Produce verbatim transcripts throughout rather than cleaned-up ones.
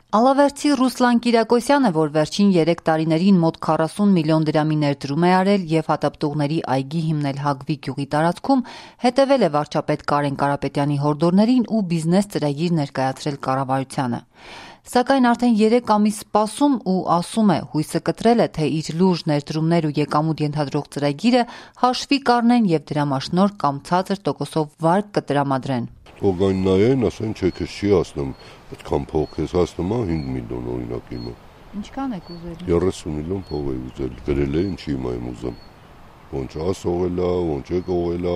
Ալավերդցի Ռուսլան Կիրակոսյանը, որ վերջին երեք տարիներին մոտ քառասուն միլիոն դրամի ներդրում է արել և հատապտուղների այգի հիմնել Հագվի գյուղի տարածքում, հետևել է վարչապետ Կարեն Կարապետյանի հորդորներին ու բիզնես ծրագիր ներկայացրել կառավարությանը։ Սակայն արդեն երեք ամիս սպասում ու ասում է, հույսը կտրել է, թե իր լուրջ ներդրումներ ու եկամուտ ենթադրող ծրագիրը հաշվի կառնեն և դրամաշնորհ կամ ցածր տոկոսով վարկ կտրամադրեն։ Թող այն նայեն, ասեն, չէ, քեզ չի հասնում, այդքան փող քեզ հասնում է հինգ միլիոն օրինակ իմը։ Ինչքան եք ուզել։ երեսուն միլիոն փող է ուզել, գրել է, ինչի հիմա եմ ուզում։ Ոնց ասողել է, ոնց է կողել է,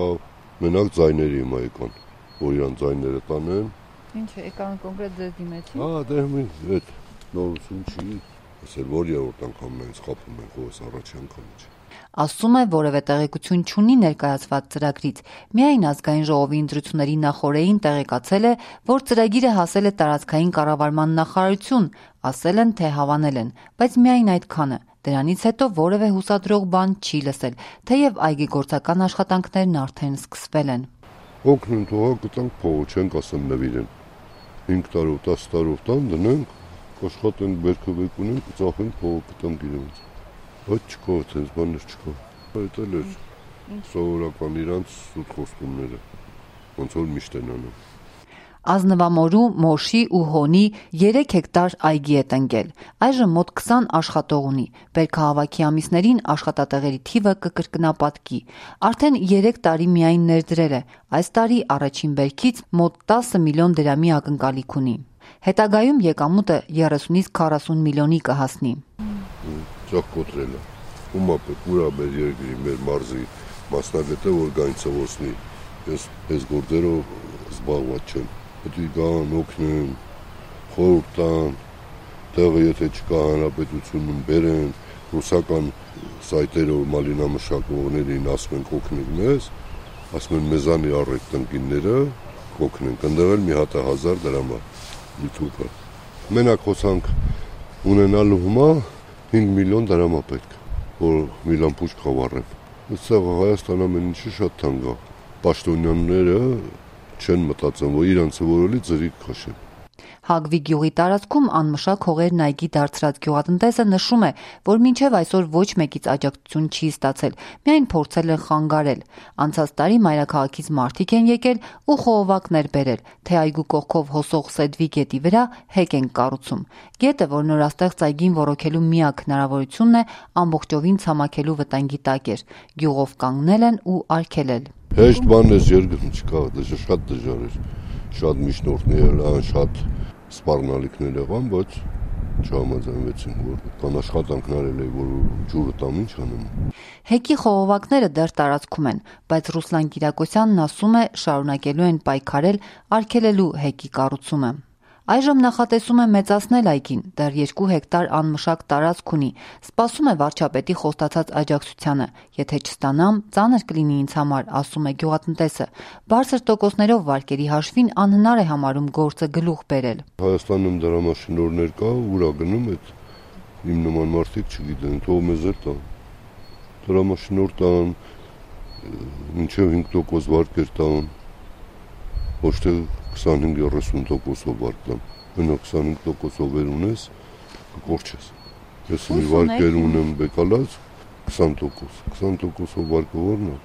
մենակ ձայները հիմա եկան, որ իրան ձայները տանեն։ Ինչ է, եկան կոնկրետ ձեզ դիմեցին։ Հա, դե այդ նորություն չի, ասել, որ երրորդ անգամն այն սխապում են, խոհս առաջի անգամը չի։ Ասում է, որևէ տեղեկություն չունի ներկայացված ծրագրից, միայն ազգային ժողովի ընտրությունների նախօրեին տեղեկացել է, որ ծրագիրը հասել է տարածքային կառավարման նախարարություն, ասել են, թե հավանել են, բայց միայն այդքանը, դրանից հետո որևէ հուսադրող բան չի լսել, թեև այգեգործական աշխատանքներն արդեն սկսվել են։ Օգնեն թողա կտանք փողը, չենք ասեմ նվիրեն, հինգ տարով, տասը տարով տան դնենք, աշխատենք բերքովեք ունենք, ծախենք փողը կտանք իրենց։ Այդ չկա, այդպես բաներ չկա։ Այդ էլ էր սովորական իրանց սուտ խոստումները, ոնց որ միշտ են անում։ Ազնվամորու, Մոշի ու Հոնի երեք հեկտար այգի է տնկել։ Այժմ մոտ քսան աշխատող ունի։ Բերքահավաքի ամիսներին աշխատատեղերի թիվը կկրկնապատկի։ Արդեն երեք տարի միայն ներդրել է։ Այս տարի առաջին բերքից մոտ տասը միլիոն դրամի ակնկալիք ունի։ Հետագայում եկամուտը երեսունից քառասուն միլիոնի կհասնի։ Ճախ կոտրել է, ումա պետք ուրա մեր երկրի, մեր մարզի մասնագետը, որ գային ծվոսնի, ես ես գործերով զբաղված չեմ, պետք գան, օգնեն, խորհուրդ տան, տեղը եթե չկա հանրապետությունում բերեն, ռուսական սայտերով մալինամշակողներին ասում են կօգնեք մեզ, ասում են մեզանի առեք տնկինները, կօգնեն, կնդեղել մի հատը հազար դրամա, մի թուկը։ Մենակ խոսանք ունենալու հիմա հինգ միլիոն դրամա պետք, որ մի լամպուչ խավարեն։ Այստեղ Հայաստան ամեն ինչի շատ թանկ է։ Պաշտոնյաները չեն մտածում, որ իրանցը որելի ծրիկ քաշեն։ Հագվի գյուղի տարածքում անմշակ հողերն այգի դարձրած գյուղատնտեսը նշում է, որ մինչև այսօր ոչ մեկից աջակցություն չի ստացել, միայն փորձել են խանգարել։ Անցած տարի մայրաքաղաքից մարդիկ են եկել ու խողովակներ բերել, թե այգու կողքով հոսող Սեդվի գետի վրա հեկ են կառուցում։ Գետը, որ նորաստեղծ այգին ոռոգելու միակ հնարավորությունն է, ամբողջովին ցամաքելու վտանգի տակ էր։ Գյուղով կանգնել են ու արգելել։ Հեշտ բան էս երկրում չկա, դա շատ դժվար էր։ Շատ միջնորդներ ան, շատ սպառնալիքներ եղան, բայց չհամաձայնվեցին, որ կան աշխատանքներ էլ, որ ջուրը տամ ինչ անեմ։ Հեկի խողովակները դեռ տարածքում են, բայց Ռուսլան Կիրակոսյանն ասում է, շարունակելու են պայքարել արգելելու հեկի կառուցումը։ Այժմ նախատեսում է մեծացնել այգին, դեռ երկու հեկտար անմշակ տարածք ունի, սպասում է վարչապետի խոստացած աջակցությանը, եթե չստանամ, ծանր կլինի ինձ համար, ասում է գյուղատնտեսը, բարձր տոկոսներով վարկերի հաշվին անհնար է համարում գործը գլուխ բերել։ Հայաստանում դրամաշնորհներ կա, ուրա գնում այդ իմ նման մարդիկ չգիտեն, թող մեզ էլ տան, դրամաշնորհ տան, մինչև հինգ տոկոս վարկեր տան, ոչ թե քսանհինգ երեսուն տոկոսով վարկ տամ, մենակ քսանհինգ տոկոսով վեր ունես, կկորչես։ Ես մի վարկեր ունեմ բեկալած, քսան տոկոս, քսան տոկոսով վարկը որն է,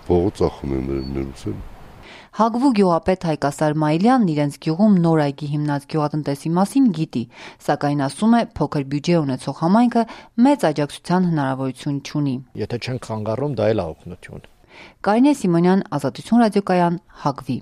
փողը ծախում եմ ներուս էլ։ Հագվու գյուղապետ Հայկասար Մայիլյանն իրենց գյուղում նոր այգի հիմնած գյուղատնտեսի մասին գիտի, սակայն ասում է, փոքր բյուջե ունեցող համայնքը մեծ աջակցության հնարավորություն չունի։ Եթե չեն խանգարում, դա էլ է օգնություն։ Կարինե Սիմոնյան, Ազատություն ռադիոկայան, Հագվի։